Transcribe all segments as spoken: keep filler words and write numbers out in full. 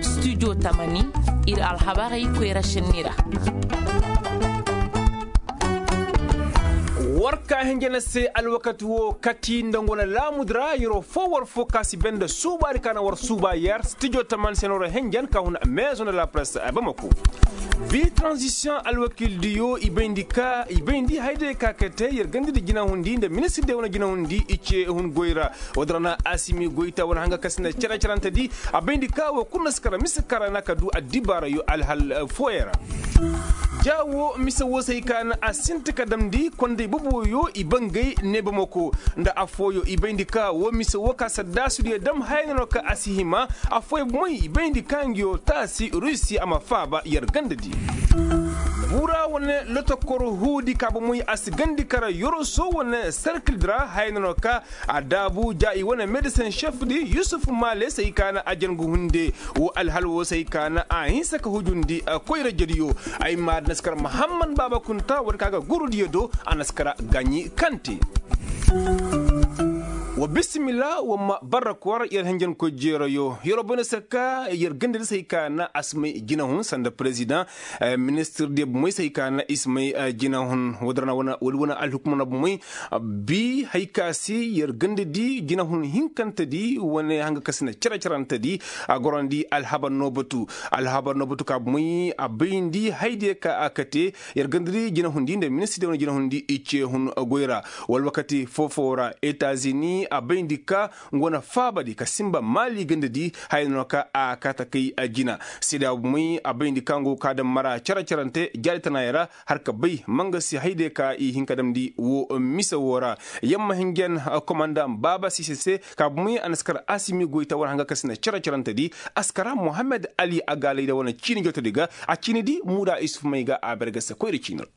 Studio tamani, ir alhabarey koyra šenni ra. War ka hinja na se alwakati wo kati nda ngu na laamudi ra yeroo foo war foo ka si bay nda suubaari ka na war suuba yer studio tamani se no ra hinjan ka hun maison de la presse a bamako. Bi transition alwakil diyo i bayndi ka i bayndi hayday ka kate yer ganda di jinahundi nda ministir diyo wane jinahundi i ce hun goy ra. Woo din ra na asimi goyta wane hanga ka si na cere cerante di a bayndi ka woo kulu na si kara mise kara na ka du addibaarayo alhal fooyaŋ ra. Ja woo mise woo se hay ka na a sinti ka damndi konday boboyo i bangay ne bamako nda affooyo i bayndi ka woo mise woo ka saddaasudiyo dam haya no ka a si hima. Affooyo bomoy i bayndi ka ngiyo taasi rusi a ma faaba yer ganda di. Bura wane lotokor huudi ka bomoy a si gandi kara yoroso wane serkil di ra haya no ka a daabu ja i wane medisen šef di yusuf maale se hay ka na a jangu hunde. Woo alhal woo se hay ka na a hinsa ka hujundi koyra jediyo. Ay ma na si kara mahamman baaba kunta war ka ga gurudiyo do a na si kara gaɲi kante. Wa bisimila wa ma barra kwar yer hinjankoy jeerayo yeroo bay no se ka yer ganda di se hay ka na a si may jinahun sanda perezidaŋ. Ministir diyo bomoy se hay ka na i si may jinahun woo din ra na wane alhukuma na bomoy. Bi hay ka se yer ganda di jinahun hinkante di wane hanga ka si na cere cerante di a gorandi alhabar no batu. Alhabar no batu ka bomoy a bayndi haydiyo ka a kate. Yer ganda di jinahundi nda ministir diyo wane jinahundi i ce hun goy ra. Wala wakati foo-foo ra etazini a bayndi ka ngu wane faabadi ka sinba maali ganda di haya no ka a kaata kay jina. Seeda bomoy a bayndi ka ngu ka daŋ mara cere cerante jaari tanaayey ra har ka bay ma nga si haydiyo ka i hin ka damndi woo mise woo ra. Yamma hinjan komandaŋ baaba siise se ka bomoy a na si kar asimi goyta war hanga ka si na cere cerante di a si kara mohammed ali a gaalay da wane ciini jootodi ga a ciini di muuda isuf may ga a berge se koyra ciini ra.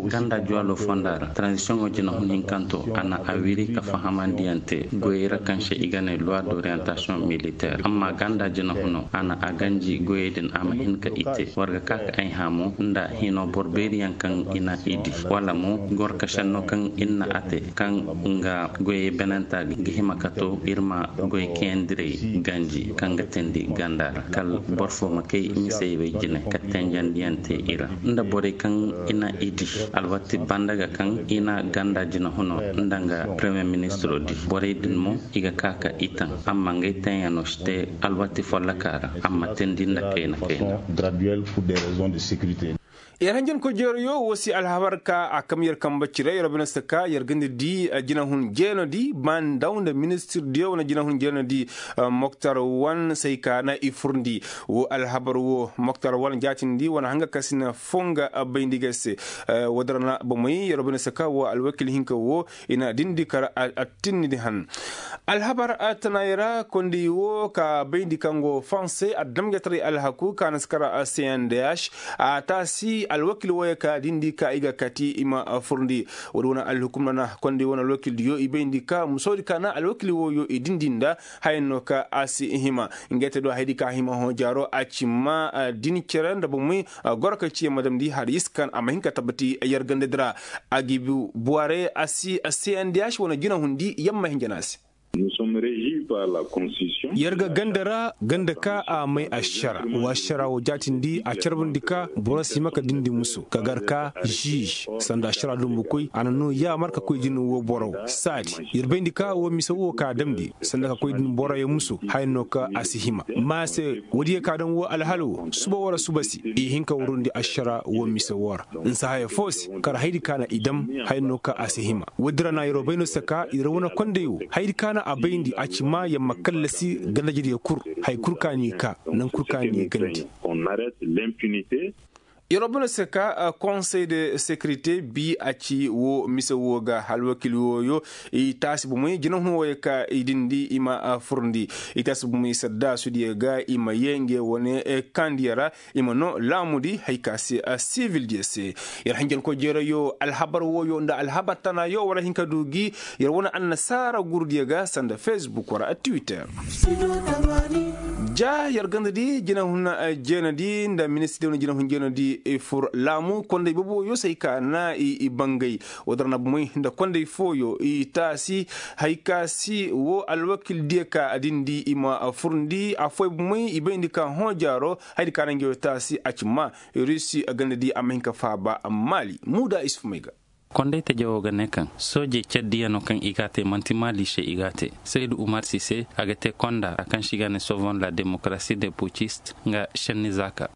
Ganda juwalo fonda ra tranzisiyoŋo jinahun hinkanto a na a wiri ka fahamandiyaŋ te goyey ra kaŋ se i ga ne loi d'orientasiyoŋ militeer amma ganda jinahuno a na a ganji goyey din a ma hin ka i te war ga ka ka ay hamo nda hino boro beeriyaŋ kaŋ i na i di wala mo goro ka senno kaŋ ir na a te kaŋ nga goyey benenta ga hima ka to ir ma goy kayandirey ganji kaŋ ga teendi ganda ra kala boro fo ma kay misey wey jine ka tenjandiyaŋ te i ra nda borey kaŋ i na i di alwatti banda ga kaŋ i na ganda jinahuno nda nga premiyer ministiro di borey din mo i ga ka ka i taŋ amma ngey taŋyaŋo si te alwatti folloka ra amma teendi nda kayna kayna. Yer hanjankoy jeeroyo woo si alhabar ka a kam yer kambe cire yer bine si ka yer ga ni di jinahun jeenodi ba ndaw nda ministir diyo wane jinahun jeenodi. Moktar wan se hay ka na i furndi woo alhabar woo moktar wan jaatindi wane hanga ka si na foo nga bayndi ga se. Woo din ra na bomey yer bine si ka woo alwakil hinka woo i na dindi kar attinni di han. Alhabar tanaayey ra konday woo ka bayndi kaŋ go fanse adamjataray alhaku ka na si kar cndh a taasi alwakil wooyo ka dindi ka i ga kati i ma furndi. Woodi wane alhukum ra na konday wane alwakil diyo i bayndi ka musoodi ka na alwakil wooyo i dindi nda haya no ka a si hima. Ngey te do hayadi ka hima hõ jaaro a ci ma din cere nda bomey goro ka ci yamma damndi har yiskan a ma hin ka tabbati yer gandadi ra. A ga i bi buware a si a si andiyaasi wane jinahundi yamma hinja na a se. Yer ga ganda ra ganda ka a may ašara wa ašara wo jaatindi a carbandi ka boro si ma ka dindi muso ka gar ka žij sanda ašara dumbukoy a na no yaamar ka koy din wo boro saadi. Yer bayndi ka wo mise wo ka damndi sanda ka koy din boroyo muso haya no ka a si hima. Ma se woodiyo ka daŋ wo alhala wo suba wara suba se i hin ka warundi ašara wo mise wo ra. Nsa haya foo se kar hayadi ka na i dam haya no ka a si hima. Woodi ra na yeroo bay no se ka yer wane konday wo hayadi ka na a bayndi a ci ma yer ma kallasi gandajediyo kul. Haya kul ka n'i ka naŋ kul ka n'i gandi. Yeroo bay no se ka konsey de sekirite bi a ci woo mise woo ga alwakil wooyo i taasi bomey jinahun wooyo ka i dindi i ma furndi. I taasi bomey saddaasudiyo ga i ma yee ngey wane kaandiyo ra. I ma noo laamudi haya ka se sivildiyo se. Yer hanjankoy jeerayo alhabar wooyo nda alhabar tanaayo war a hin ka du gi yer wane annasaara gurudiyo ga sanda fesbuk war a twitter. Ja yer gandadi jinahun jeenadi nda ministir diyo wane jinahun jeenadi. I fur laamu konday boboyo se hay ka na i bangay. Woo dara na bomey nda konday fooyo i taasi hay ka si woo alwakil diya ka a dindi i ma furndi affooyo bomey i bayndi ka hõ jaaro. Hay di ka na ngey woo taasi a ci maa rusi ganda di a ma hin ka faaba maali muuda isuf may ga. Konday taja woo ga ne kaŋ soojey cere diyanoo kaŋ i g'a te man'ti maali se i g'a te. Saydu umar sise a ga te konda a kaŋ se i g'a ne sovon la demokarasi de pucist nga šenni zaaka.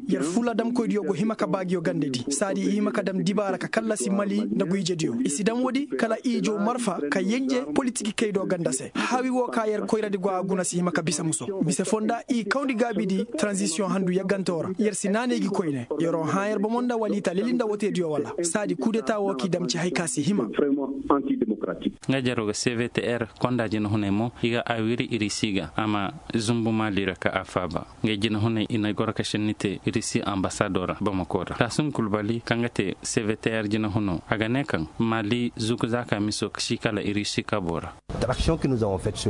Yer fulla damkoydiyo go hima ka baa nguyo gandedi saadi i hima ka dam dibaara ka kallasi mali nda guyjediyo i si dam woodi kala i jow marfa ka yenje politik kaydo ganda se. Hawi woo ka yer koyradi go a guna si hima ka bisa muso mise fonda i kawndi gaabidi taranzisiyoŋ handu yaggantoo ra yer si naanay gi koyne. Yeroo hãa yer bomo nda wala i ta leli nda woteediyo wala saadi kudeta woo k'i dam ci hay ka si hima. Nga jaroo ga cvtr konda jinahunay mo i ga a wiri irisi ga a ma zumbu maali ra ka a faaba. Ngey jinahunay i na goro ka šenni te irisi ambasadoo ra bamako ra taasum kulbali kaŋ ga te cvtr jinahunoo a ga ne kaŋ maali zuku zaaka miso ka si kala irisi kaboo ra.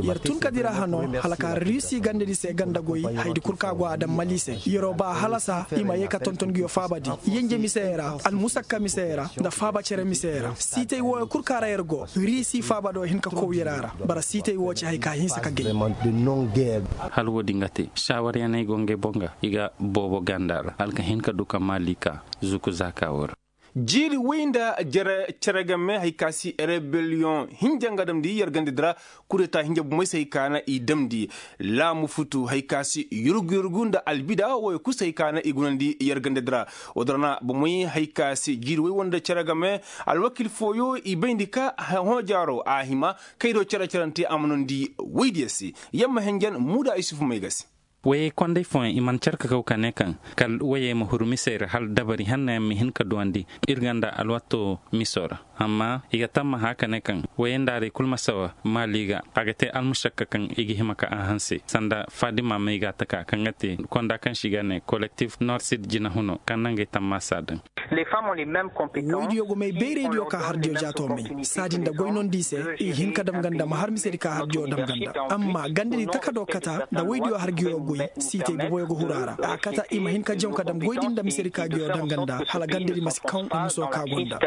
Yer tun ka dira hanoo hala ka rusi gandedi se ganda goy haydi kul ka go a daŋ mali se. Yeroo ba a halasa i ma yee ka tonton nguyo faabadi yenje misey ra almusakka misey ra nda faaba cere misey ra siitay wooyo kul ka ra yer go rusi faabadoo hin ka kow yer a ra. Bara siitay woo ci hay ka hinsa ka gay. Hala woodin ga te saawariyaney go ngey boŋ ga i ga boobo ganda ra hala ka hin ka du ka maali ka zuku zaaka woo ra. Jiiri woy nda jere cere game hay ka si rebelliyoŋ hinja nga damndi yer gandedi ra. Kudeta hinja bomey se hay ka na i damndi laamu futu hay ka si yurgu yurgu nda albida wooyo kul se hay ka na i gunandi yer gandedi ra. Woo dara na bomey hay ka si jiiri woy wo nda cere game alwakil fooyo i bayndi ka hõ jaaroo a hima kay do cere cerante a ma noondi woydiyo se. Yamma henjen muuda isufu may ga se. Woyey konday fooyaŋ i mana car ka kaw ka ne kaŋ kala woyey ma huru misey ra hala dabari hanna yaŋ ma hin ka duwandi ir ganda alwatto miso ra. Amma i ga tammaha ka ne kaŋ woyey nda arey kul ma sawa maali ga a ga te almušakka kaŋ i ga hima ka a hanse sanda fadima may ga a taka kaŋ ga te konda kaŋ se i ga ne kolektif nord sid jinahuno kaŋ na ngey tammaasa daŋ. Woydiyo go may bayraydiyo ka hardiyo jaato may saadi nda goy nondi se. I hin ka dam ganda ma har misedi ka hardiyo dam ganda amma gandedi takado kata nda woydiyo hargiyo goy. Siitay boboyo ga huru a ra a kata i ma hin ka jaŋ ka dam goydi nda misedi ka giyo dam ganda hala gandedi ma si kaŋ i muso ka gonda.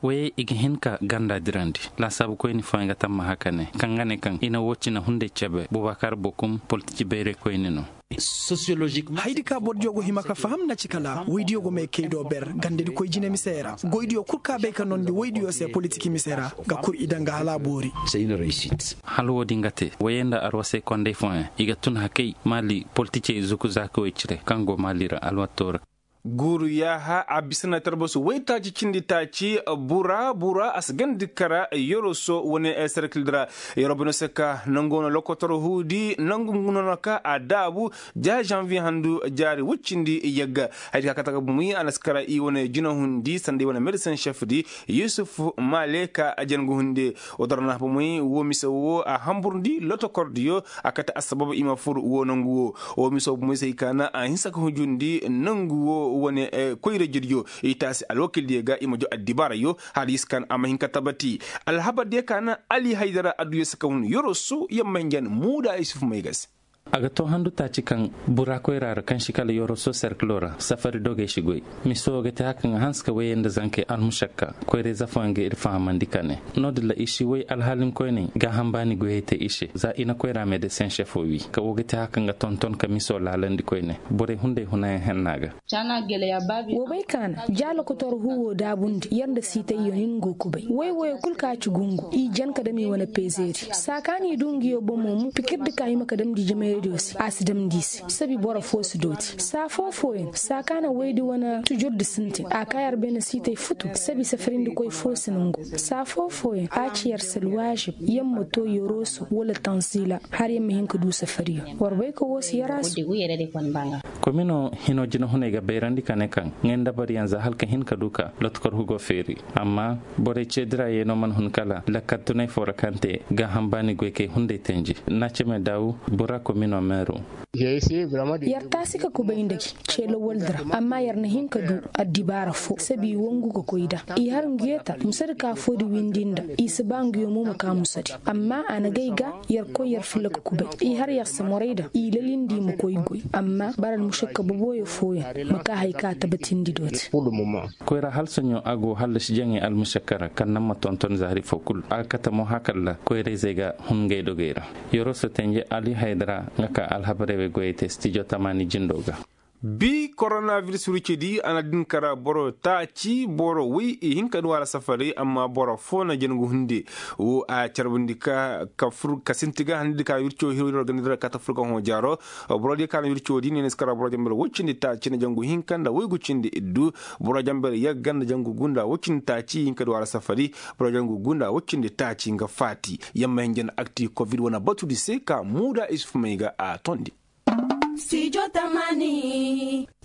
Woyey i ga hin ka ganda dirandi laasaabu koyni fooyaŋ ga tammaha ka ne kaŋ ga ne kaŋ i na woo cine hunday cebe bubakar bokum politiki bayray koyni no. Haydi ka bordiyo go hima ka faham na ci kala woydiyo go may kay do ber gandedi koy jine misey ra. Goydiyo kul ka bay ka nondi woydiyo se politiki misey ra ga kur i daŋ ga hala a boori. Hala woodin ga te woyey nda arwasey konday fooyaŋ i ga tun hakay maali politicey zuku zaakawey cire kaŋ go maali ra alwatto ra. Guuru yaaha a bisa na tarbasu waytaaci cindi taaci. Bura bura a si gandi kara yoroso wane serkildi ra. Yorobo no se ka nangu no lokotor huudi nangu no no ka a daabu. Ja janvier handu jaari wuccindi yagga. Haydi ka kata ga bumi a na si kara i wane jinahundi sanda i wane medecin chef di yusuf male ka a jangu hunde. Woo dara na bumi woo mise woo a hamburndi lotokordiyo a kate assabab i ma fur woo nangu woo. Woo miso bomoy se hay ka na a hinsa ka hujundi nangu woo wane koyra jirjo i taasi alwakildiyo ga i ma jo addibaarayo. Hala i si ka na a ma hin ka tabati alhabardiyo ka na ali haydara adduyo se ka hun yoroso yamma hinjan muuda isufu may ga se. A ga too handu taaci kaŋ bura koyra ra kaŋ si kala yoroso serkilo ra safari dogey si goy. Miso ga te haka nga hanse ka wayey nda zankey almušakka koyra ize fooyaŋ ga ir fahamandi ka ne no-din ra i si way alhalinkoyney gaaham baani goyey te i se za i na koyra medesin šefo wi ka wo ga te haka nga tonton ka miso laalandi koyne borey hunday hunayaŋ henna ga. Wo bay kaana ja lokotor huwo daabundi yer nda siitayyo hin go kubay way woyo kul ka ci gungu i jan ka dam i wane pezeeri saa kaŋ a n'i du nguyo bomo mo pikirdi ka hima ka damndi jimayadiyo se a si damndi i se sabi boro fo si dooti saa foo fooyaŋ saa kaŋ a na waydi wane tujurdi sintin a ka yer beene siitay futu sabi safarindikoy fo si nangu saa foo fooyaŋ a ci yer se alwaazib yer ma too yeroo se wala tanzila har yer ma hin ka du safariyo war bay ka woo se yer a se. Komino hino jinahuney ga bayrandi ka ne kaŋ ngey nda bariyaŋ za hala ka hin ka du ka lotkor hugo feeri amma borey ceedira yeenoo mana hun kala lakkal tunay foo ra kaŋ te gaaham baani goykey hunday tenji. Naceme daawu bura komino. Yer taasi ka kubay nda gi, ce lawaldi ra. Amma yer na hin ka du addibaara foo sabi wangu ka koy nda i har nguyeeta musadi ka foodi windi nda i si ba nguyo mo ma ka musadi. Amma a na gay ga yer koy yer filla ka kubay i har yer si moray nda i lalindi ma koy goy. Amma bara almušakka boboyo fooyaŋ ma ka haya ka tabatindi dooti. Koyra halsaɲo a go hallasi jaŋay almušakka ra kaŋ naŋ ma tonton zaari foo kul a ga kate mo hakalla koyrayzey ga hun ngey dogey ra. Yeroo si tenje ali haydara nga ka alhabarey wey goyey te stijo tamaani jindoo ga. Bi koronabiris wircidi a na din kara boro taaci boro woy i hin ka du a ra safaray amma boro foo na jangu hunde. Wo a carbundi ka ka fur ka sinti ga handi ka wirco hiro hiro ganda dira ka ta fur ka hõ jaaro. Boro di ka na wirco di ne ni si kara boro jambar woy cindi taaci na jangu hinka nda woy gu cindi iddu. Boro jambar yagga nda jangu gunda woy cindi taaci hin ka du a ra safari. Boro jangu gunda woy cindi taaci nga faati. Yamma hin janda akti kovid wane batudi se ka muuda isuf may ga a tondi.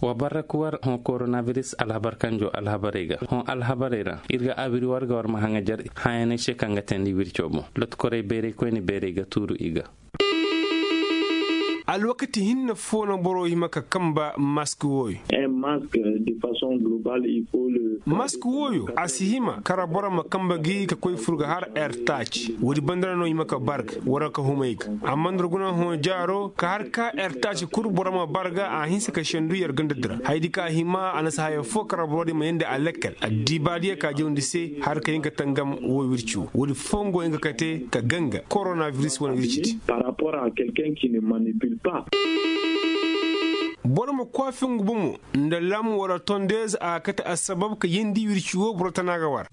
Wa barra ka war hõ koronabiris alhabar kanjo alhabarey ga hõ alhabarey ra ir ga abiri war ga war ma haŋajar. Hayaney se kaŋ ga teendi wirco boŋ lotkorey beerey koyne beerey ga tuuru i ga. Alwakati hinne foo no boro hima ka kamba mask wooyo. Mask wooyo a si hima kara boro ma kamba gi ka koy fur ga har er taaci woodi banda ra no hima ka barga wara ka humay ga. Amma nda ra guna hõ jaaro ka har ka er taaci kul boro ma barga a hinsa ka sendu yer ganda dira hayadi ka hima a na si haya foo kara boro di ma yandi a lekkel addiibaadiya ka jawndi se har ka hin ka tangam woo wirci woo woodi foo ngo hin ka kate ka ganga koronabiris wane wirci di. Boro ma kwaafi ngu bomo nda lam wala tondeez a ga kate assabab ka yeendi wirci woo boro tana ga war.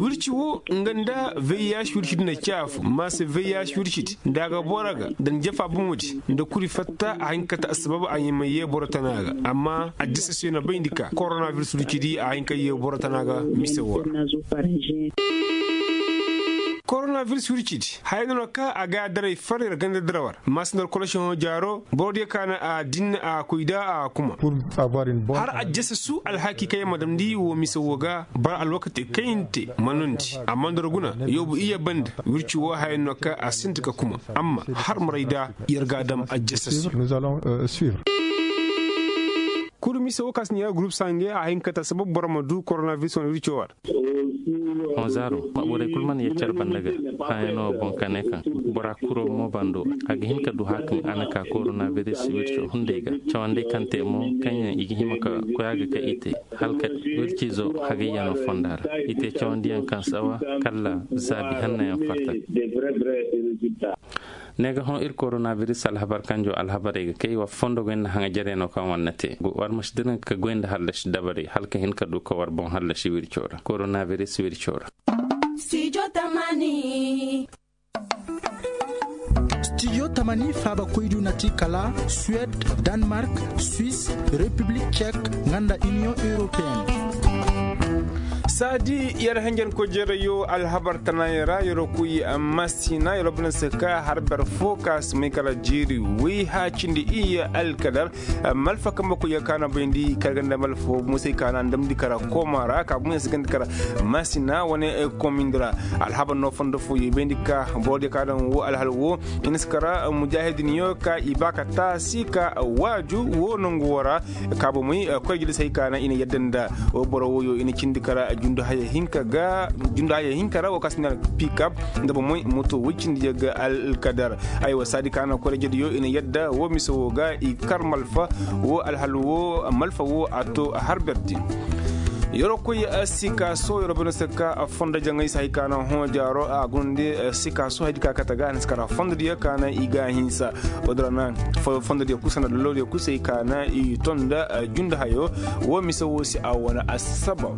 Wirci woo nga nda vih wirci di na caafu maasa vih wirci di nda a ga boro ga nda ni jafa bomo di nda kuri fatta a hin ka kate assabab a ɲaamay yee boro tana ga. Amma addisa se na bayndi ka koronabiris wirci di a hin ka yee boro tana ga mise woo ra. Koronabiris wirci di haya no na ka a ga a daray far yer ganda dira war maasa nda war kolosi hõ jaaro boro diyo ka na a din a koy da a kuma. Har a jese su alhaki kaŋ yer ma damndi woo mise woo ga bara alwakati kaŋ yer na te ma nondi amma nda war guna yoobu iyye banda wirci woo haya no ka a sinti ka kuma. Amma har maray da yer ga a dam a jese su. Kulu mise woo ka si ne yer gurup sange a hin ka ta sabab boro ma du koronabiris wane wirci woo war. Hõ zaaro maɓuray kul mana yaccar banda ga. Hãyanoo boŋ ka ne kaŋ bora kuro mo bando a ga hin ka du hakaŋ a na ka koronabiris wirco hunday ga. Cawandey kaŋ te mo kaŋ yaŋ i ga hima ka koy a ga ka i te hala ka wircizo hagayyaŋo fonda ra i te cawandiyaŋ kaŋ sawa kala zaabi hannayaŋ fatta. Ne ga hõ ir koronabiris alhabar kanjo alhabarey ga kay war fondo goy nda haŋajarey no kaŋ war na te war ma si dira ka goy nda hallasi dabarey hala ka hin ka du ka war boŋ hallasi wirco ra koronabiris wirco ra. Studio tamani faaba koydu na ti kala suwed, danmark, swis, repiblik cek, nga nda iniyoŋ europeen. Saadi yer hanjankoy jeerayo alhabar tanaayey ra yeroo koy masina yeroo bana si ka har ber fo ka si may kala jeeri woy haacindi iyye alkadar. Malfa kambe koy ka na bayndi kala ganda malfa musay ka na damndi kala kooma ra ka bumey si ganda kala masina wane koomindi ra. Alhabar no fondo fo yo bayndi ka boro diyo ka daŋ wo alhal wo i na si kala mujaahidin yo ka i ba ka taasi ka waaju wo nangu wo ra. Ka bomey koy jilisa hay ka na i na yadda nda wo boro woyo i na cindi kara jundu haya hinka ga jundu haya hinka ra wo ka si na pikap nda bomey moto woy cindi yaŋ ga alkadar. Aywa saadi ka na koy rajediyo i na yadda wo mise wo ga i kar malfa wo alhal wo malfa wo a to harber din. Yeroo koy sikaso yeroo bana saka fondo jaŋay si hay ka na hõ jaaro a guna nda sikaso haydi ka kate ga a na si kara fondo diyo ka na i ga hinsa. Wadda ra na fondo diyo kusa nda lolo diyo kusa hay ka na i ton nda jundu hayo. Wo mise wo se a wane assabab.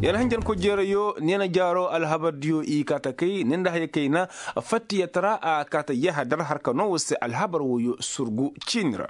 Yar hanjar ko jeerayo neena jaaro alhabar diyo i kaata kay ne nda haya kayna fattiyatara a kaata yahadar harka no wo se alhabar woyo surgu ciini ra.